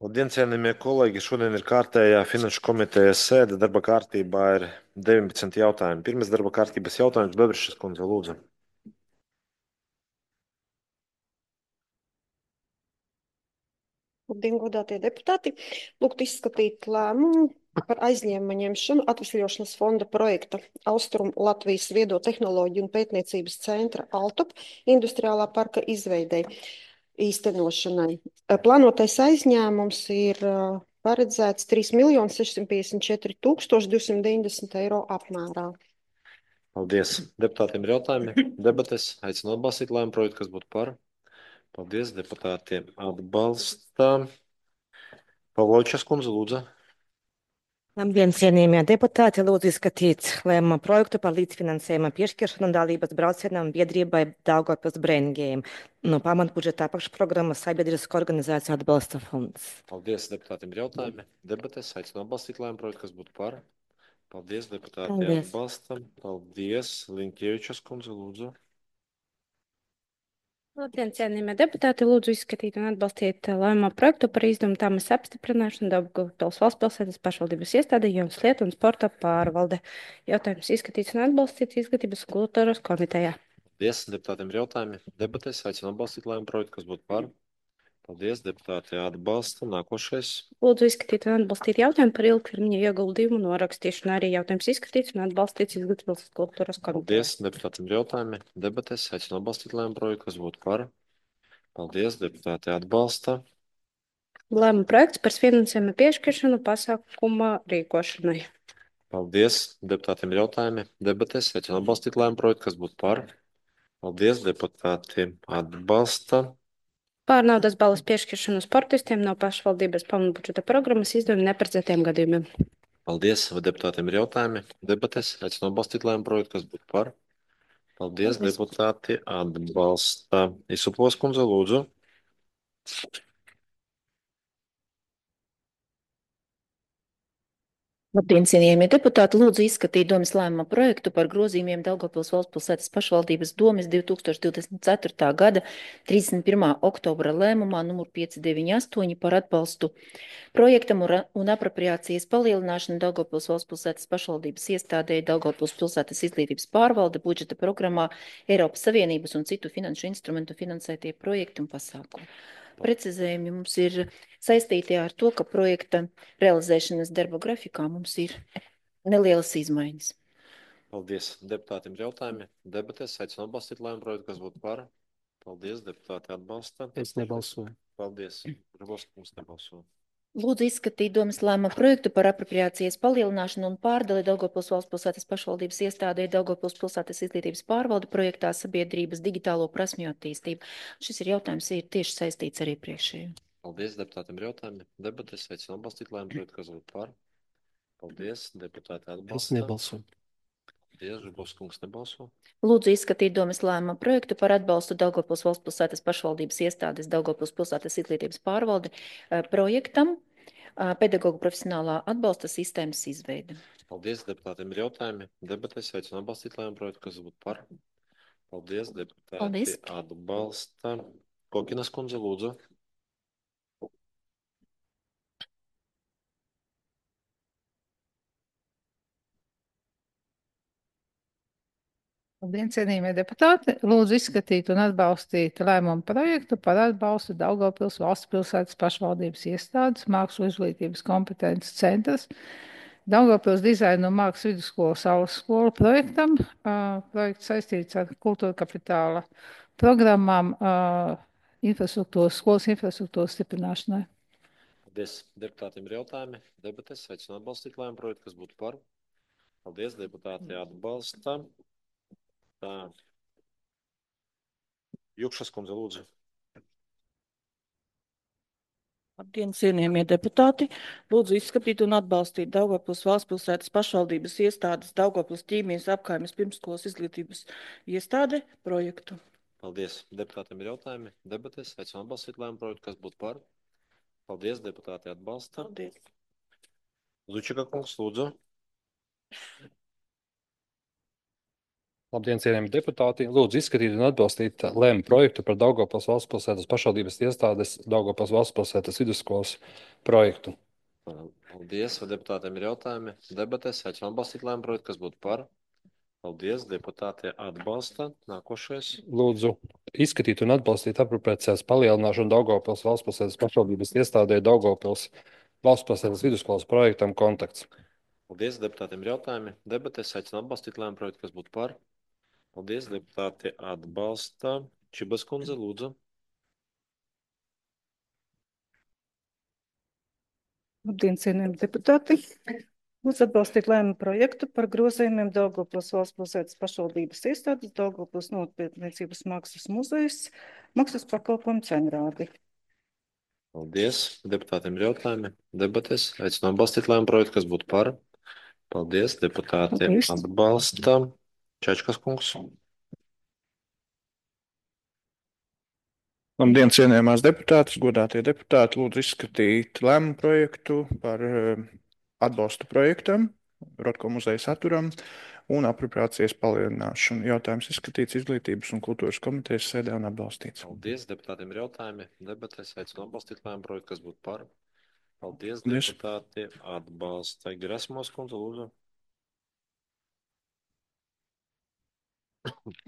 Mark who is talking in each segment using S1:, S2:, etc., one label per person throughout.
S1: Labdien, cienījamie kolēģi! Šodien ir kārtējā Finanšu komitejas sēde. Darba kārtībā ir 19 jautājumi. Pirmais darba kārtības jautājums - Bebrišas kundze, lūdzu.
S2: Labdien, godātie deputāti! Lūgtu izskatīt lēmumu par aizņēmumu ņemšanu Atvesļošanas fonda projekta Austrum Latvijas viedo tehnoloģiju un pētniecības centra ALTUP industriālā parka izveidei īstenošanai. Plānotais aizņēmums ir paredzēts 3 654 290 eiro apmērā.
S1: Paldies! Deputātiem ir jautājumi. Debates aicinu atbalstīt lēmumu projektu, kas būtu par. Paldies! Deputātiem atbalsta. Pavlovičas kundze, lūdzu.
S3: Labdien, cienījamie deputāti! Lūdzu izskatīt lēmuma projektu par līdzfinansējuma piešķiršanu dalības braucienam biedrībai Daugavpils Brain Game no pamatbudžeta apakšprogrammas Sabiedrisko organizāciju atbalsta fonds.
S1: Paldies! Deputātiem ir jautājumi. Debates aicinu atbalstīt lēmumu projektu, kas būtu par. Paldies! Deputāti
S3: Paldies.
S1: atbalsta. Paldies! Linkievičas kundze, lūdzu.
S4: Labdien, cienījamie deputāti! Lūdzu izskatīt un atbalstīt lēmuma projektu par izdevumu tāmas apstiprināšanu Daugavpils valsts pilsētas pašvaldības iestādē Jaunas lietu un sporta pārvalde. Jautājums izskatīts un atbalstīts Izglītības un kultūras komitejā.
S1: Paldies! Deputātiem ir jautājumi. Debates aicinu atbalstīt lēmumu projektu, kas būtu par. Paldies! Deputāti atbalsta. Nākošais.
S4: Lūdzu izskatīt un atbalstīt jautājumu par ilgtermiņa ieguldījumu norakstīšanu. Arī jautājums izskatīts un atbalstīts Izglītības un kultūras komitejā.
S1: Paldies! Deputātiem ir jautājumi. Debates aicinu atbalstīt lēmumu projektu, kas būtu par. Paldies! Deputāti atbalsta.
S4: Lēmuma projekts par finansējuma piešķiršanu pasākuma rīkošanai.
S1: Paldies! Deputātiem ir jautājumi. Debates aicinu atbalstīt lēmumu projektu, kas būtu par. Paldies! Deputāti atbalsta.
S4: Pār naudas balvas piešķiršanu sportistiem no pašvaldības pamatbudžeta programmas izdevuma neparedzētiem gadījumiem.
S1: Paldies! Vai deputātiem ir jautājumi? Debates aicinu atbalstīt lēmumu projektu, kas būtu par. Paldies! Deputāti atbalsta. Izsuplos kundze, lūdzu.
S5: Labdien, cienījamie deputāti! Lūdzu izskatīt domes lēmuma projektu par grozījumiem Daugavpils valsts pilsētas pašvaldības domes 2024. gada 31. oktobra lēmumā numur 598 par atbalstu projektam un apropriācijas palielināšanu Daugavpils valsts pilsētas pašvaldības iestādē Daugavpils pilsētas izglītības pārvalde budžeta programmā Eiropas Savienības un citu finanšu instrumentu finansētie projekti un pasākumi. Precizējumi mums ir saistīti ar to, ka projekta realizēšanas darba grafikā mums ir nelielas izmaiņas.
S1: Paldies! Deputātiem ir jautājumi. Debates aicinu atbalstīt lēmumu projektu, kas būtu par. Paldies! Deputāti atbalsta.
S6: Es nebalsoju.
S1: Paldies! Grabovskis nebalso.
S5: Lūdzu izskatīt domes lēmuma projektu par apropriācijas palielināšanu un pārdali Daugavpils valsts pilsētas pašvaldības iestādē Daugavpils pilsētas izglītības pārvalde projektā sabiedrības digitālo prasmju attīstību. Šis ir jautājums ir tieši saistīts ar iepriekšējo.
S1: Paldies! Deputātiem ir jautājumi. Debates aicinu atbalstīt lēmumu projektu, kas būtu par. Paldies! Deputāti atbalsta.
S6: Es nebalsoju.
S1: Paldies! Grabovskis nebalso.
S5: Lūdzu izskatīt domes lēmuma projektu par atbalstu Daugavpils valsts pilsētas pašvaldības iestādes Daugavpils pilsētas izglītības pārvalde projektam pedagoģu profesionālā atbalsta sistēmas izveide.
S1: Paldies! Deputātiem ir jautājumi. Debates aicinu atbalstīt lēmumu projektu, kas būtu par. Paldies! Deputāti
S5: Paldies.
S1: atbalsta. Kokinas kundze, lūdzu.
S7: Labdien, cienījamie deputāti! Lūdzu izskatīt un atbalstīt lēmumu projektu par atbalstu Daugavpils valsts pilsētas pašvaldības iestādes mākslu izglītības kompetences centrs Daugavpils dizaina un mākslas vidusskolu Saules skolu projektam. Projekts saistīts ar kultūra kapitāla programmām skolas infrastruktūras stiprināšanai.
S1: Paldies! Deputātiem ir jautājumi. Debates aicinu atbalstīt lēmumu projektu, kas būtu par. Paldies! Deputāti atbalsta. Tā. Jukšas kundze, lūdzu.
S8: Labdien, cienījamie deputāti! Lūdzu izskatīt un atbalstīt Daugavpils valsts pilsētas pašvaldības iestādes Daugavpils ķīmijas apkaimes pirmsskolas izglītības iestāde projektu.
S1: Paldies! Deputātiem ir jautājumi. Debates aicinu atbalstīt lēmumu projektu, kas būtu par. Paldies! Deputāti atbalsta.
S8: Paldies!
S1: Zučika kungs, lūdzu.
S6: Labdien, cienījami deputāti! Lūdzu izskatīt un atbalstīt lēmumu projektu par Daugavpils valsts pilsētas pašvaldības iestādes Daugavpils valsts pilsētas vidusskolas projektu.
S1: Paldies. Vai deputātiem ir jautājumi? Debatēs. Aicinu atbalstīt lēmumu projektu, kas būtu par. Paldies. Deputāti atbalsta. Nākošais.
S6: Lūdzu izskatīt un atbalstīt apropriācijas palielināšanu Daugavpils valsts pilsētas pašvaldības iestādē Daugavpils valsts pilsētas vidusskolas projektam kontakts.
S1: Paldies. Deputātiem ir jautājumi? Debatēs. Aicinu atbalstīt lēmumu projektu, kas būtu par. Paldies. Deputāti atbalsta. Čibas kundze, lūdzu.
S8: Labdien, cienījami deputāti! Lūdzu atbalstīt lēmumu projektu par grozījumiem Daugavpils valsts pilsētas pašvaldības iestādes Daugavpils novatpētniecības mākslas muzejs maksas pakalpojumu cenrādi.
S1: Paldies. Deputātiem ir jautājumi? Debatēs. Aicinu atbalstīt lēmumu projektu, kas būtu par. Paldies. Deputāti
S8: Paldies.
S1: atbalsta. Čečkas kungs.
S9: Labdien, cienījamās deputātas, godātie deputāti, lūdzu izskatīt lēmumu projektu par atbalstu projektam, Rotko muzeja saturam un apropriācijas palielināšanu. Jautājums izskatīts Izglītības un kultūras komitejas sēdē un atbalstīts.
S1: Paldies. Deputātiem ir jautājumi? Debatēs. Aicinu atbalstīt lēmumu projektu, kas būtu par. Paldies.
S9: Paldies.
S1: Deputāti atbalsta. Gerasmos kundze, lūdzu.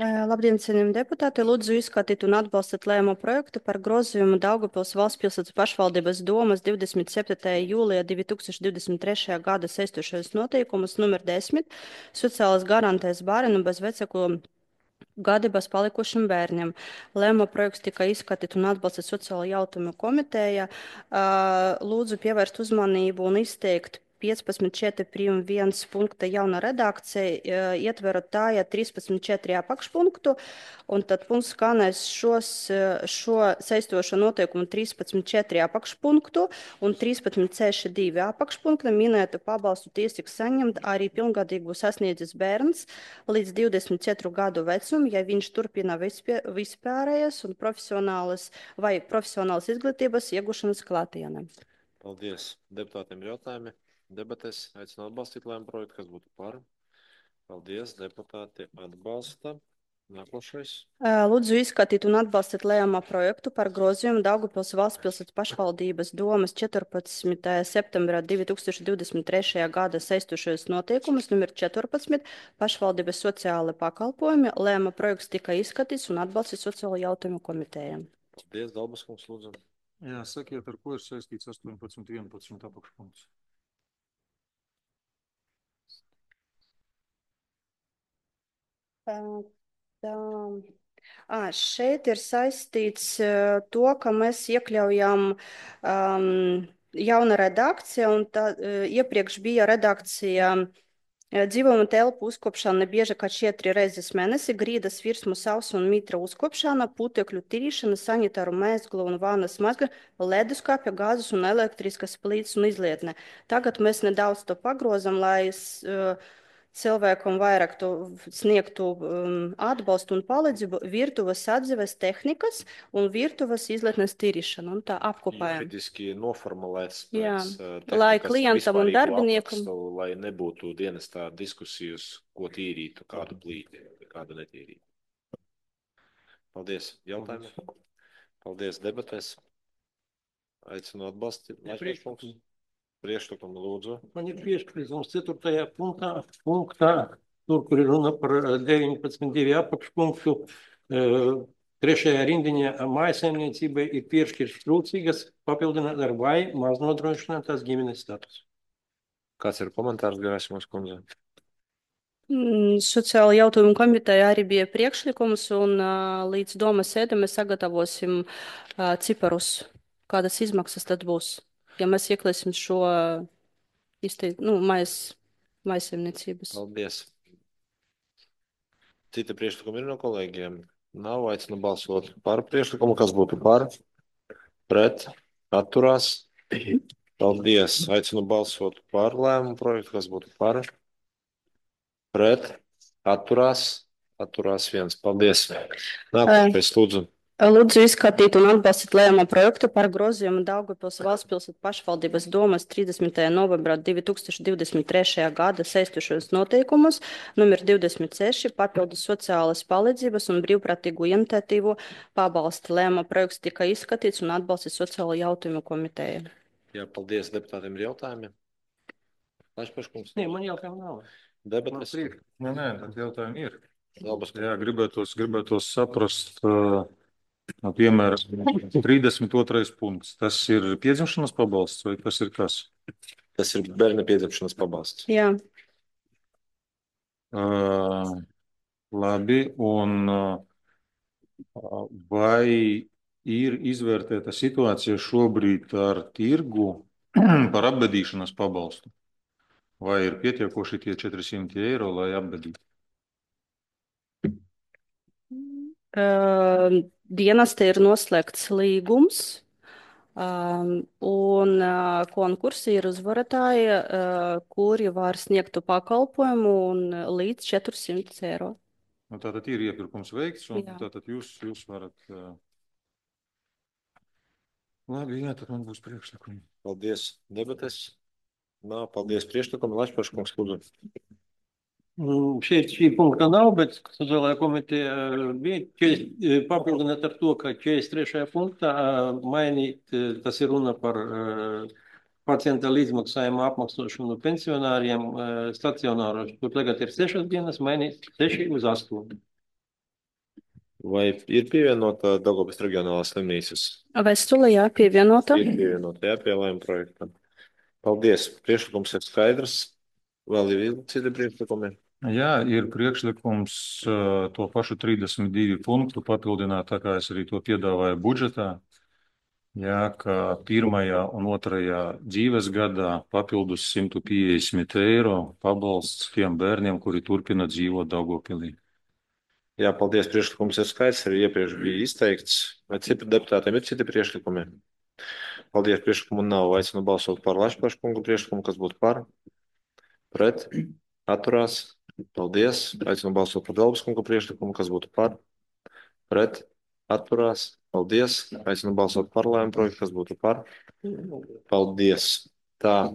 S4: Labdien, cienījami deputāti! Lūdzu izskatīt un atbalstīt lēmumu projektu par grozījumu Daugavpils valsts pilsētas pašvaldības domas 27. jūlijā 2023. gada saistošajos noteikumus numur 10 sociālas garantēs bērnu bez vecāku gadības palikušiem bērniem. Lēmuma projekts tika izskatīts un atbalstīts sociālo jautājumu komiteja. Lūdzu pievērst uzmanību un izteikt 15.4.1 punkta jauna redakcija, ietverot tā, ja 13.4 apakšpunktu, un tad punkts skanēs šo saistošo noteikumu 13.4 apakšpunktu un 13.6.2 apakšpunkta minētu pabalstu tiesību saņemt arī pilngadīgu sasniedzis bērns līdz 24 gadu vecum, ja viņš turpina vispārējas un profesionālas izglītības iegūšanas klātienē.
S1: Paldies. Deputātiem ir jautājumi? Debatēs. Aicinu atbalstīt lēmumu projektu, kas būtu par. Paldies. Deputāti atbalsta. Nākošais.
S4: Lūdzu izskatīt un atbalstīt lēmuma projektu par grozījumu Daugavpils valsts pilsētas pašvaldības domas 14. septembrā 2023. gada saistošajos noteikumus numur 14 pašvaldības sociāla pakalpojumi. Lēmuma projekts tika izskatīts un atbalstīts sociālo jautājumu komitejām.
S1: Paldies. Dalbas kungs, lūdzu.
S10: Jā, sakiet, ar ko ir saistīts 18.11 apakšpunkts?
S4: Šeit ir saistīts to, ka mēs iekļaujam jauna redakcija, un tā iepriekš bija redakcija dzīvojuma telpu uzkopšana bieži kā 4 reizes mēnesi, grīdas virsmu sausu un mitra uzkopšana, putekļu tīrīšana, sanitāru mēsglu un vānas mazga, leduskapja, gāzes un elektriskas plīts un izlietne. Tagad mēs nedaudz to pagrozam, lai cilvēkam vairāk sniegtu atbalstu un palīdzību virtuves atzīves tehnikas un virtuves izlietnes tīrīšanu, un tā apkopējam.
S1: Juridiski noformulēts
S4: Jā,
S1: pēc
S4: lai
S1: tehnikas
S4: klientam un
S1: vispārīgu
S4: darbiniekam.
S1: aprakstu, lai nebūtu dienestā diskusijas, ko tīrītu, kādu plīti, kādu netīrītu. Paldies. Jautājumi? Paldies. Debatēs. Aicinu atbalstīt. Priekšlikumu, lūdzu.
S10: Man ir priekšlikums 4. punktā, tur, kur ir runa par 19.2 apakšpunktu, 3. rindiņā mājsaimniecībai ir piešķirts trūcīgas papildināt ar vai maz nodrošinātās ģimenes status.
S1: Kāds ir komentārs, Gerasmos kundze?
S4: Sociāla jautājumu komiteja arī bija priekšlikums, un līdz domas sēdē mēs sagatavosim ciparus, kādas izmaksas tad būs, ja mēs ieklēsim šo maisaimniecības.
S1: Paldies. Cita priekšlikuma ir no kolēģiem? Nav. Aicinu balsot par priekšlikumu, kas būtu par, pret, atturās. Paldies. Aicinu balsot par lēmumu projektu, kas būtu par, pret, atturās. Atturās viens. Paldies. Nākošais, lūdzu.
S4: Lūdzu izskatīt un atbalstīt lēmumu projektu par grozījumu Daugavpils valsts pilsētu pašvaldības domas 30. novembrā 2023. gada saistošos noteikumus numur 26 papildus sociālas palīdzības un brīvprātīgu iniciatīvu pabalsti. Lēmuma projekts tika izskatīts un atbalstīts sociālo jautājumu komiteja.
S1: Jā, paldies. Deputātiem ir jautājumi? Lašpaškungs.
S10: Nē, man jautājumu nav.
S1: Debates.
S11: Nē, tad jautājumi ir.
S1: Labas.
S11: Jā, gribētos saprast, piemēram, 32. punkts. Tas ir piedzimšanas pabalsts vai tas ir kas?
S1: Tas ir bērna piedzimšanas pabalsts.
S4: Jā.
S11: Labi, un vai ir izvērtēta situācija šobrīd ar tirgu par apbedīšanas pabalstu? Vai ir pietiekoši tie 400 eiro, lai apbedītu?
S4: Dienestā ir noslēgts līgums, un konkursi ir uzvarētāji, kuri var sniegt pakalpojumu un līdz 400 eiro.
S11: Nu, tātad ir iepirkums veikts, un
S4: Jā.
S11: tātad jūs varat... Labi, jā, tad man būs priekšlikumi.
S1: Paldies. Debates. Nav. Paldies. Priekšlikumi. Lašpaškungs, lūdzu.
S10: Šeit šī punkta nav, bet sociālajā komiteja bija papildināt ar to, ka 43. punktā mainīt, tas ir runa par pacienta līdzmaksājumu apmaksošanu pensionāriem stacionāros. Tur tagad ir 6 dienas, mainīt 6 uz 8.
S1: Vai ir pievienota Daugavpils reģionālās slimnīcas?
S4: Vēstule, jā, pievienota.
S1: Ir pievienota, jā, pie lēmuma projektam. Paldies. Priekšlikums ir skaidrs. Vēl ir citi priekšlikumi?
S11: Jā, ir priekšlikums to pašu 32 punktu papildināt, tā kā es arī to piedāvāju budžetā. Jā, ka 1. un 2. dzīves gadā papildus 150 eiro pabalsts tiem bērniem, kuri turpina dzīvot Daugavpilī.
S1: Jā, paldies. Priekšlikums ir skaidrs, arī iepriekš bija izteikts. Vai citi deputātiem ir citi priekšlikumi? Paldies. Priekšlikumu nav. Aicinu balsot par Lašpaškungu priekšlikumu, kas būtu par, pret, atturās. Paldies. Aicinu balsot par Dalbaskungu priekšlikumu, kas būtu par, pret, atturās. Paldies. Aicinu balsot par lēmumu projektu, kas būtu par. Paldies. Tā.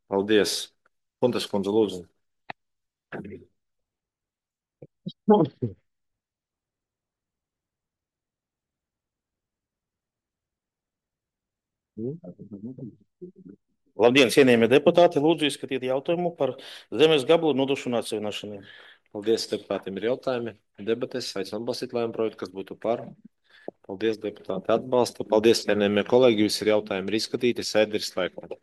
S1: Paldies. Puntas kundze, lūdzu.
S12: Labdien, cienījamie deputāti! Lūdzu izskatīt jautājumu par zemes gabalu nodošanu atsevināšanai.
S1: Paldies, deputātiem ir jautājumi. Debates. Aicinu atbalstīt lēmumu projektu, kas būtu par. Paldies, deputāti atbalsta. Paldies, cienījamie kolēģi. Visi ir jautājumi ir izskatīti. Sēde ir slēgta.